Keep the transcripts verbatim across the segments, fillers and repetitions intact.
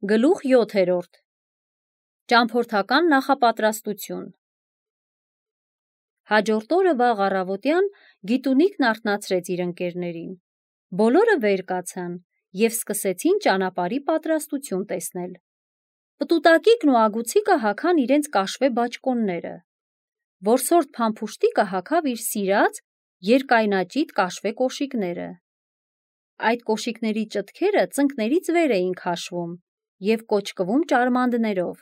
Գլուխ յոթերորդ Ճամփորդական նախապատրաստություն Հաջորդ օրը վաղ առավոտյան Գիտունիկն արթնացրեց իր ընկերներին։ Բոլորը վեր կացան և սկսեցին ճանապարհի պատրաստություն տեսնել։ Պտուտակիկն ու Ագուցիկը հագան իրենց կաշվե բաճկոնները։ Որսորդ Փամփուշտիկը հագավ իր սիրած երկայնաճիտ կաշվե կոշիկները։ Այդ կոշիկների ճտքերը ծնկներից վեր էին քաշվում և կոճկվում ճարմանդներով։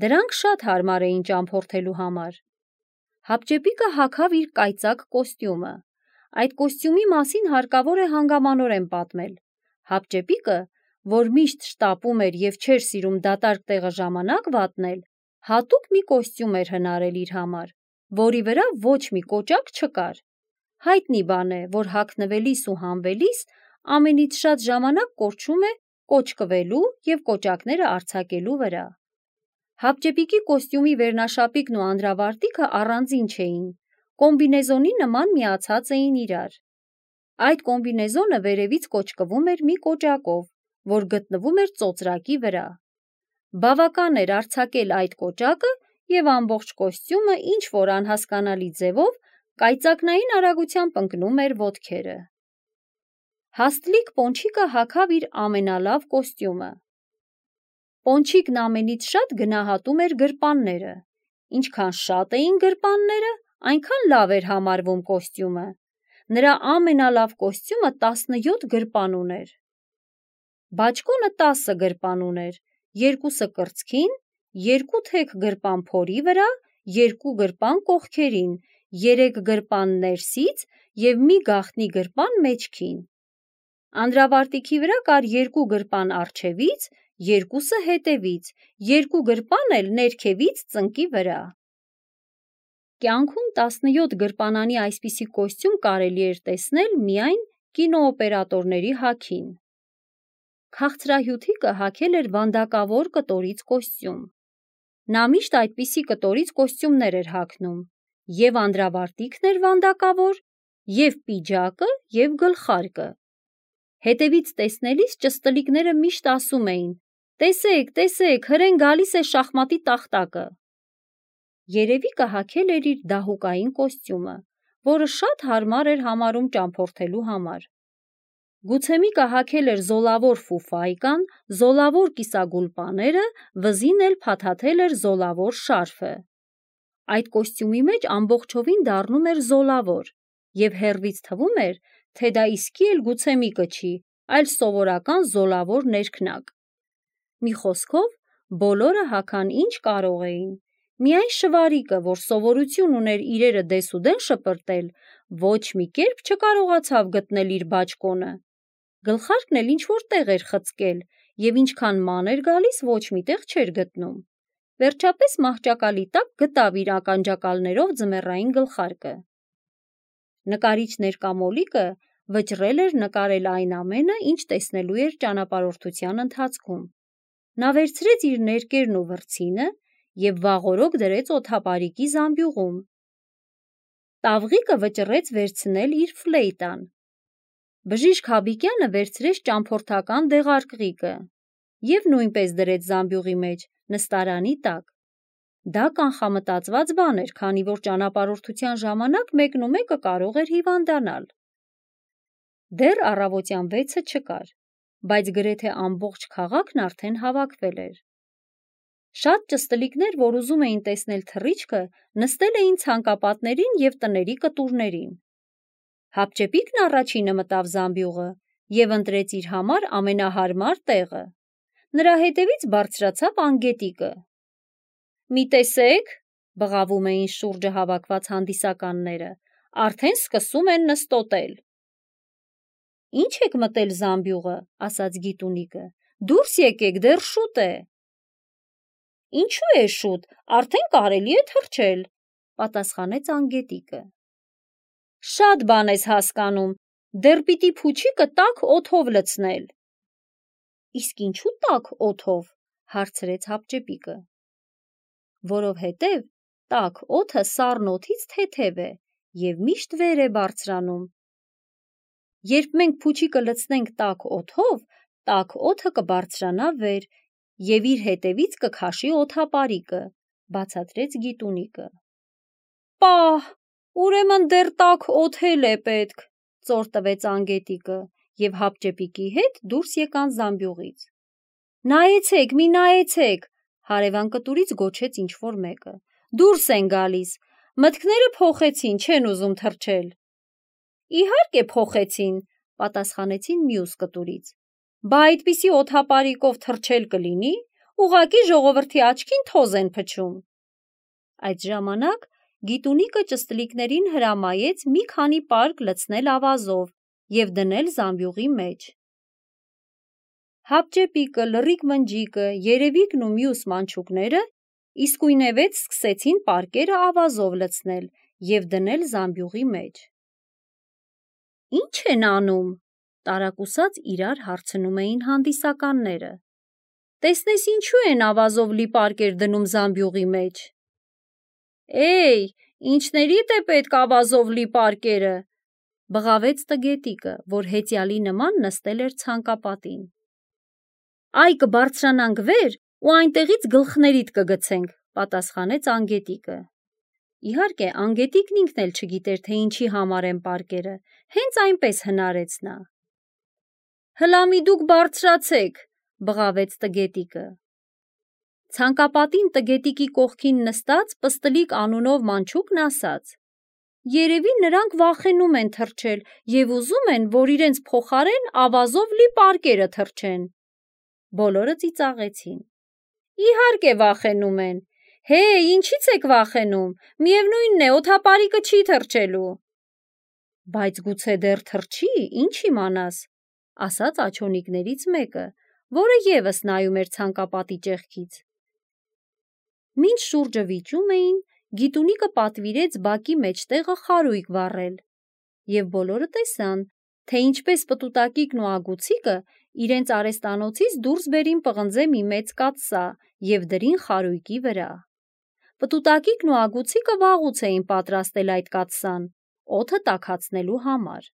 Դրանք շատ հարմար էին ճամփորդելու համար։ Հապճեպիկը հագավ իր կայծակ կոստյումը։ Այդ կոստյումի մասին հարկավոր է հանգամանորեն պատմել։ Հապճեպիկը, որ միշտ շտապում էր և չէր սիրում դատարկ տեղը ժամանակ վատնել, հատուկ մի կոստյում էր հնարել իր համար, որի վրա ոչ մի կոճակ չկար։ Հայտնի բան է, որ հագնվելիս ու հանվելիս ամենից շատ ժամանակ կորչում է կոճկվելու և կոճակները արձակելու վրա։ Հապճեպիկի կոստյումի վերնաշապիկն ու անդրավարտիքը առանձին չէին, կոմբինեզոնի նման միացած էին իրար։ Այդ կոմբինեզոնը վերևից կոճկվում էր մի կոճակով, որ գտնվում էր ծոծրակի վրա։ Բավական էր արձակել այդ կոճակը, և ամբողջ կոստյումը ինչ-որ անհասկանալի ձևով կայծակնային արագությամբ ընկնում էր ոտքերը։ Հաստլիկ Պոնչիկը հագավ իր ամենալավ կոստյումը։ Պոնչիկն ամենից շատ գնահատում էր գրպանները։ Ինչքան շատ էին գրպանները, այնքան լավ էր համարվում կոստյումը։ Նրա ամենալավ կոստյումը տասնյոթ գրպան ուներ։ Բաճկոնը տասը գրպան ուներ, երկուսը կրծքին, երկու թեք գրպան փորի վրա, երկու գրպան կողքերին, երեք գրպան ներսից և մի գաղտնի գրպան մեջքին։ Անդրավարտիքի վրա կար երկու գրպան առջևից, երկուսը հետևից, երկու գրպան էլ ներքևից ծնկի վրա։ Կյանքում տասնյոթ գրպանանի այսպիսի կոստյում կարելի էր տեսնել միայն կինոօպերատորների հագին։ Քաղցրահյութիկը հագել էր վանդակավոր կտորից կոստյում։ Նա միշտ այդպիսի կտորից կոստյումներ էր հագնում, և անդրավարտիքն էր վանդակավոր, և պիջակը, և գլխարկը։ Հետևից տեսնելիս ճստլիկները միշտ ասում էին. «Տեսեք, տեսեք, հրեն գալիս է շախմատի տախտակը»։ Երևիկը հագել էր իր դահուկային կոստյումը, որը շատ հարմար էր համարում ճամփորդելու համար։ Գուցեմիկը հագել էր զոլավոր ֆուֆայկան, զոլավոր կիսագուլպաները, վզին էլ փաթաթել էր զոլավոր շարֆը։ Այդ կոստյումի մեջ ամբողջովին դառնում էր զոլավոր, և հեռվից թվում էր, թե դա իսկի էլ Գուցեմիկը չի, այլ սովորական զոլավոր ներքնակ։ Մի խոսքով, բոլորը հագան ինչ կարող էին։ Միայն Շվարիկը, որ սովորություն ուներ իրերը դեսուդեն շպրտել, ոչ մի կերպ չկարողացավ գտնել իր բաճկոնը։ Գլխարկն էլ ինչ-որ տեղ էր խցկել, և ինչքան ման էր գալիս, ոչ մի տեղ չէր գտնում։ Վերջապես մահճակալի տակ գտավ իր ականջակալներով ձմեռային գլխարկը։ Նկարիչ ներկա Մոլիկը վճռել էր նկարել այն ամենը, ինչ տեսնելու էր ճանապարհորդության ընթացքում։ Նա վերցրեց իր ներկերն ու վրձինը և վաղօրոք դրեց օդապարիկի զամբյուղում։ Տավղիկը վճռեց վերցնել իր ֆլեյտան։ Բժիշկ Հաբիկյանը վերցրեց ճամփորդական դեղարկղիկը և նույնպես դրեց զամբյուղի մեջ, նստարանի տակ։ Դա կանխամտածված բան էր, քանի որ ճանապարհորդության ժամանակ մեկնումեկը կարող էր հիվանդանալ։ Դեռ առավոտյան վեցը չկար, բայց գրեթե ամբողջ քաղաքն արդեն հավաքվել էր։ Շատ ճստլիկներ, որ ուզում էին տեսնել թռիչքը, նստել էին ցանկապատներին և տների կտուրներին։ Հապճեպիկն առաջինը մտավ զամբյուղը և ընտրեց իր համար ամենահարմար տեղը։ Նրա հետևից բարձրացավ Անգետիկը։ «Մի տեսեք», բղավում էին շուրջը հավաքված հանդիսականները, «արդեն սկսում են նստոտել»։ «Ի՞նչ եք մտել զամբյուղը», ասաց Գիտունիկը, «դուրս եկեք, դեռ շուտ է»։ «Ինչու է շուտ, արդեն կարելի է թռչել», պատասխանեց Անգետիկը։ «Շատ բան ես հասկանում, դեռ պիտի փուչիկը տաք օդով լցնել»։ «Իսկ ինչու տաք օդով», հարցրեց Հապճեպիկը։ «Որովհետև տաք օդը սառն օդից թեթև է և միշտ վեր է բարձրանում։ Երբ մենք փուչիկը լցնենք տաք օդով, տաք օդը կբարձրանա վեր եւ իր հետևից կքաշի օդապարիկը, բացատրեց Գիտունիկը։ Պահ, ուրեմն դեռ տաք օդել է պետք, ծոր տվեց Անգետիկը եւ հապճեպիկի հետ դուրս եկան զամբյուղից։ Նայեցեք, մի նայեցեք, հարևան կտուրից գոչեց ինչ-որ մեկը։ Դուրս են գալիս, մտքները փոխեցին, չեն ուզում թռչել։ Իհարկե փոխեցին, պատասխանեցին մյուս կտուրից։ Բա այդպիսի օդապարիկով թռչել կլինի, ուղղակի ժողովրդի աչքին թոզ են փչում։ Այդ ժամանակ Գիտունիկը ճստլիկներին հրամայեց մի քանի պարկ լցնել ավազով եւ դնել զամբյուղի մեջ։ Հապճեպիկը, Լռիկ մնջիկը, Երևիկն ու մյուս մանչուկները իսկույնևեթ սկսեցին պարկերը ավազով լցնել եւ դնել զամբյուղի մեջ։ Ինչ են անում, տարակուսած իրար հարցնում էին հանդիսականները։ Տեսնես ինչու են ավազով լի պարկեր դնում զամբյուղի մեջ։ Էй, ինչներիդ է պետք ավազով լի պարկերը, բղավեց Տգետիկը, որ հեծյալի նման նստել էր ցանկապատին։ Այ կբարձրանանք վեր ու այնտեղից գլխներիդ կգցենք, պատասխանեց Անգետիկը։ Իհարկե, Անգետիկն ինքն էլ չգիտեր, թե ինչի համար են պարկերը, հենց այնպես հնարեց նա։ Հլա մի դուք բարձրացեք, բղավեց Տգետիկը։ Ցանկապատին Տգետիկի կողքին նստած Պստլիկ անունով մանչուկն ասաց. Երևի նրանք վախենում են թռչել եւ ուզում են, որ իրենց փոխարեն ավազով լի պարկերը թռչեն։ Բոլորը ծիծաղեցին։ Իհարկե վախենում են։ Հե, ինչից եք վախենում, միևնույնն է, օդապարիկը չի թռչելու։ Բայց գուցե դեռ թռչի, ինչ իմանաս, ասաց աջոնիկներից մեկը, որը եւս նայում էր ցանկապատի ճեղքից։ Մինչ շուրջը վիճում էին, Գիտունիկը պատվիրեց բակի մեջտեղը խարույկ վառել, եւ բոլորը տեսան, թե ինչպես Պտուտակիկն ու Ագուցիկը իրենց արհեստանոցից դուրս բերին պղնձե մի մեծ կաթսա եւ դրին խարույկի վրա։ Պտուտակիկն ու Ագուցիկը վաղուց էին պատրաստել այդ կաթսան, օդը տաքացնելու համար։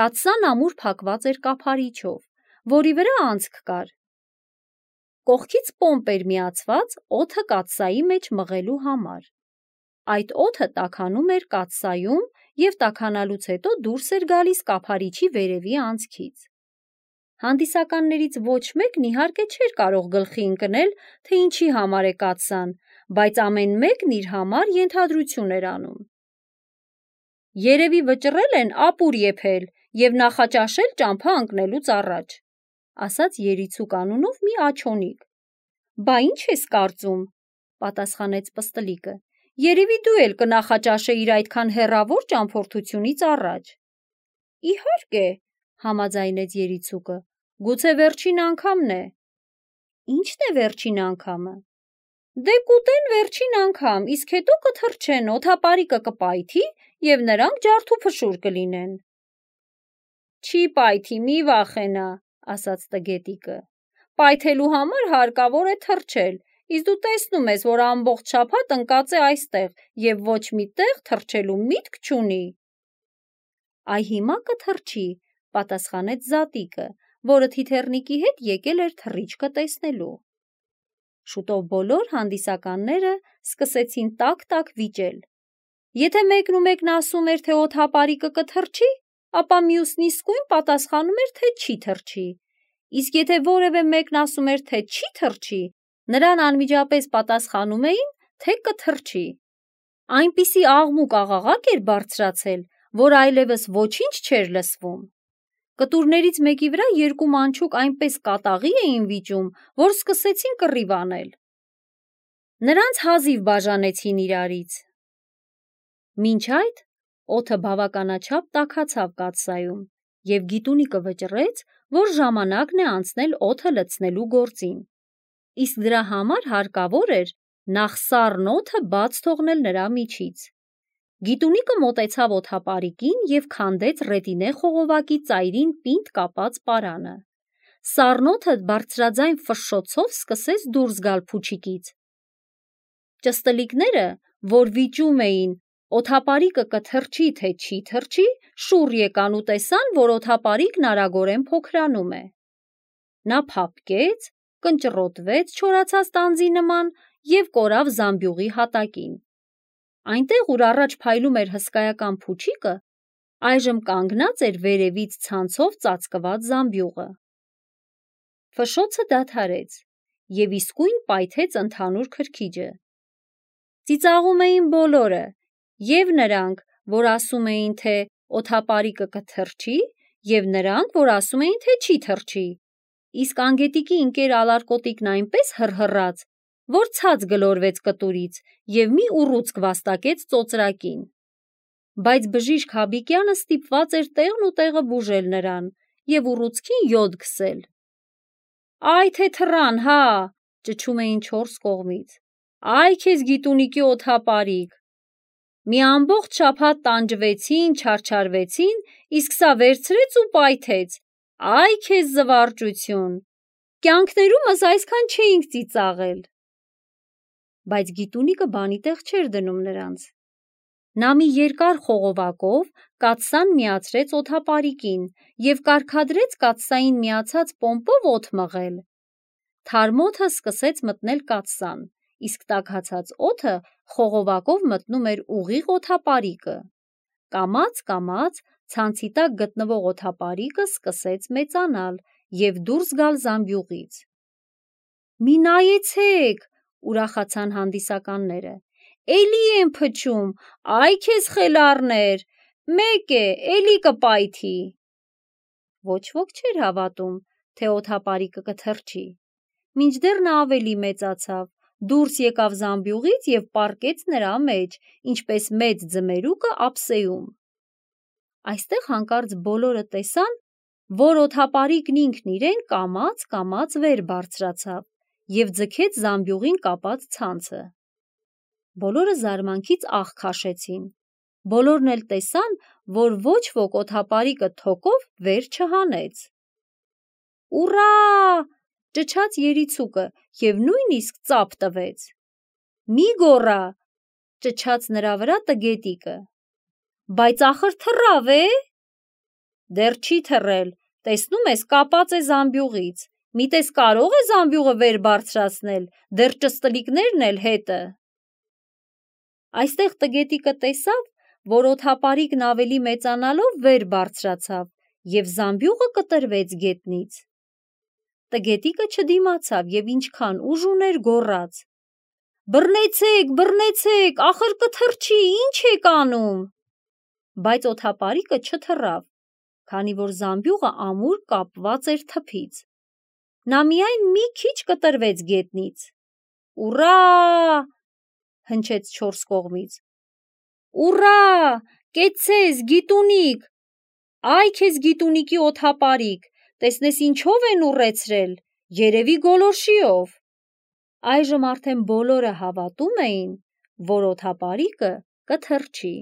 Կաթսան ամուր փակված էր կափարիչով, որի վրա անցք կար։ Կողքից պոմպ էր միացված օդը կաթսայի մեջ մղելու համար։ Այդ օդը տաքանում էր կաթսայում եւ տաքանալուց հետո դուրս էր գալիս կափարիչի վերևի անցքից։ Հանդիսականներից ոչ մեկն իհարկե չէր կարող գլխի ընկնել, թե ինչի համար է կաթսան, բայց ամեն մեկն իր համար ենթադրություն էր անում։ Երևի վճռել են ապուր եփել եւ նախաճաշել ճամփա ընկնելուց առաջ, ասաց Երիցուկ անունով մի աջոնիկ։ Բա ինչ ես կարծում, պատասխանեց Պստլիկը։ Երևի դու էլ կնախաճաշեիր այդքան հեռավոր ճամփորդությունից առաջ։ Իհարկե, համաձայնեց Երիցուկը, գուցե վերջին անգամն է։ Ինչն է վերջին անգամը։ Դե կուտեն վերջին անգամ, իսկ հետո կթռչեն, օդապարիկը կպայթի եւ նրանք ջարդուփշուր կլինեն։ Չի պայթի, մի վախենա, ասաց Տգետիկը։ Պայթելու համար հարկավոր է թռչել, իսկ դու տեսնում ես, որ ամբողջ շաբաթ ընկած է այստեղ եւ ոչ մի տեղ թռչելու միտք չունի։ Այ հիմա կթռչի, պատասխանեց Զատիկը, որը Թիթեռնիկի հետ եկել էր թռիչքը տեսնելու։ Շուտով բոլոր հանդիսականները սկսեցին տակ-տակ վիճել։ Եթե մեկն ու մեկն ասում էր, թե օդապարիկը կթռչի, ապա մյուսն իսկույն պատասխանում էր, թե չի թռչի։ Իսկ եթե որևէ մեկն ասում էր, թե չի թռչի, նրան անմիջապես պատասխանում էին, թե կթռչի։ Այնպիսի աղմուկ աղաղակ էր բարձրացել, որ այլևս ոչինչ չէր լսվում։ Կտուրներից մեկի վրա երկու մանչուկ այնպես կատաղի էին վիճում, որ սկսեցին կռիվ անել։ Նրանց հազիվ բաժանեցին իրարից։ Մինչ այդ օդը բավականաչափ տաքացավ կաթսայում, եւ Գիտունիկը վճռեց, որ ժամանակն է անցնել օդը լցնելու գործին։ Իսկ դրա համար հարկավոր էր նախ սառն օդը բաց թողնել նրա միջից։ Գիտունիկը մոտեցավ օդապարիկին եւ քանդեց ռետինե խողովակի ծայրին պինդ կապած պարանը։ Սառն օդը բարձրաձայն ֆշշոցով սկսեց դուրս գալ փուչիկից։ Ճստլիկները, որ վիճում էին օդապարիկը կթռչի թե չի թռչի, շուռ եկան ու տեսան, որ օդապարիկն արագորեն փոքրանում է։ Նա փափկեց, կնճռոտվեց չորացած տանձի նման և կորավ զամբյուղի հատակին։ Այնտեղ, ուր առաջ փայլում էր հսկայական փուչիկը, այժմ կանգնած էր վերևից ցանցով ծածկված զամբյուղը։ Ֆշոցը դադարեց և իսկույն պայթեց ընդհանուր քրքիջը։ Ծիծաղում էին բոլորը, և նրանք, որ ասում էին, թե օդապարիկը կթռչի, և նրանք, որ ասում էին, թե չի թռչի, իսկ անգետիկի ընկեր ալարկոտիկն այնպես հռհռաց, որ ցած գլորվեց կտուրից և մի ուռուցք վաստակեց ծոծրակին։ Բայց բժիշկ Հաբիկյանը ստիպված էր տեղն ու տեղը բուժել նրան և ուռուցքին յոդ քսել։ «Այ թե թռան, հա», ճչում էին չորս կողմից, «Այ քեզ գիտունիկի օդապարիկ»։ Մի ամբողջ շաբաթ տանջվեցին, չարչարվեցին, իսկ սա վերցրեց ու պայթեց։ Այ քեզ զվարճություն։ Կյանքներումս այսքան չէինք ծիծաղել։ Բայց գիտունիկը բանի տեղ չէր դնում նրանց։ Նա մի երկար խողովակով կաթսան միացրեց օդապարիկին և կարգադրեց կաթսային միացած պոմպով օդ մղել։ Թարմ օդը սկսեց մտնել կաթսան, իսկ տաքացած օդը խողովակով մտնում էր ուղիղ օդապարիկը։ Կամաց-կամաց ցանցի տակ գտնվող օդապարիկը սկսեց մեծանալ և դուրս գալ զամբյուղից։ «Մի նայեցեք», ուրախացան հանդիսականները, «էլի են փչում, այ քեզ խելառներ, մեկ է, էլի կպայթի»։ Ոչ ոք չէր հավատում, թե օդապարիկը կթռչի, մինչդեռ նա ավելի մեծացավ, դուրս եկավ զամբյուղից և պառկեց նրա մեջ, ինչպես մեծ ձմերուկը ափսեում։ Այստեղ հանկարծ բոլորը տեսան, որ օդապարիկն ինքն իրեն կամաց-կամաց վեր բարձրացավ և ձգեց զամբյուղին կապած ցանցը։ Բոլորը զարմանքից աղ քաշեցին։ Բոլորն էլ տեսան, որ ոչ ոք օդապարիկը թոկով վեր չհանեց։ «Ուռա», ճչաց երիցուկը և նույնիսկ ծափ տվեց։ «Մի գոռա», ճչաց նրա վրա տգետիկը։ «Բայց ախր թռավ է»։ «Դեռ չի թռել, տեսնում ես, կապած է զամբյուղից, միտես կարո՞ղ է զամբյուղը վեր բարձրացնել, դեռ ճստլիկներն էլ հետը»։ Այստեղ տգետիկը տեսավ, որ օդապարիկն ավելի մեծանալով վեր բարձրացավ և զամբյուղը կտրվեց գետնից։ Տգետիկը չդիմացավ և ինչքան ուժ ուներ գոռաց. «Բռնեցեք, բռնեցեք, ախր կթռչի, ի՞նչ եք անում»։ Բայց օդապարիկը չթռավ, քանի որ զամբյուղը ամուր կապված էր թփից։ Նա միայն մի քիչ կտրվեց գետնից։ «Ուռա», հնչեց չորս կողմից։ «Ուռա, կեցցես, գիտունիկ, այ քեզ գիտունիկի օդապարիկ, տեսնես ինչով են ուռեցրել, երևի գոլորշիով»։ Այժմ արդեն բոլորը հավատում էին, որ օդապարիկը կթռչի։